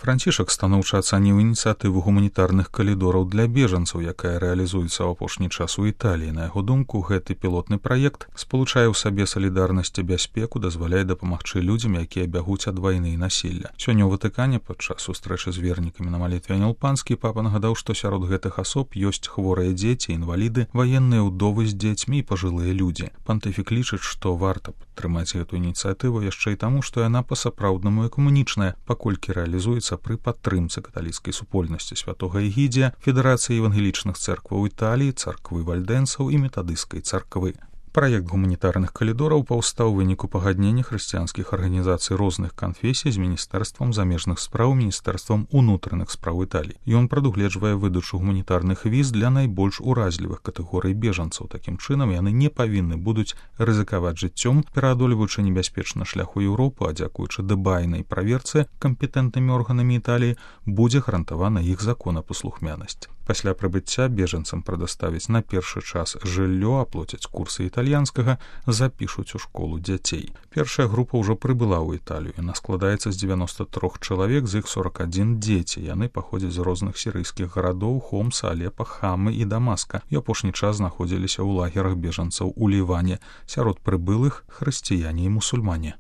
Францішак станоўча ацаніў ініцыятыву гуманітарных калідораў для бежанцаў, якая рэалізуецца ў апошні час у Італіі. На яго думку, гэты пілотны праект спалучае ў сабе салідарнасць і бяспеку, дазваляе дапамагчы людзям, якія бягуць ад вайны і насілля. Сёння ў Ватыкане падчас сустрэчы з вернікамі на малітве Анёл Панскі папа нагадаў, што сярод гэтых асоб ёсць хворыя дзеці, інваліды, ваенныя ўдовы з дзецьмі і пажылыя людзі. Пантыфік лічыць, што варта падтрымаць гэту ініцыятыву яшчэ і таму, што яна па-сапраўднаму экумунічная, паколькі рэалізуецца пры падтрымцы каталіцкай супольнасці святога Эгідзія, Федэрацыі евангелічных цэркваў Італіі, царквы вальдэнцаў і метадысцкай царквы. Праект гуманітарных калідораў паўстаў у выніку пагаднення хрысціянскіх арганізацый розных канфесій з Міністэрствам замежных спраў, Міністэрствам унутраных спраў Італіі. Ён прадугледжвае выдачу гуманітарных віз для найбольш уразлівых катэгорый бежанцаў. Такім чынам, яны не павінны будуць рызыкаваць жыццём, пераадольваючы небяспечны шлях у Еўропу, а дзякуючы дбайнай праверцы кампетэнтнымі органамі Італіі будзе гарантавана іх законапаслухмянасць. Пасля прыбыцця бежанцам прадаставіць на першы час жыллё, аплоцяць курсы італьянскага, запішуць у школу дзяцей. Першая група ўжо прыбыла ў Італію. Яна складаецца з 93 чалавек, з іх 41 дзеці. Яны паходзяць з розных сірыйскіх гарадоў Хомса, Алепа, Хамы і Дамаска. І апошні час знаходзіліся ў лагерах бежанцаў у Ліване. Сярод прыбылых хрысціяне і мусульмане.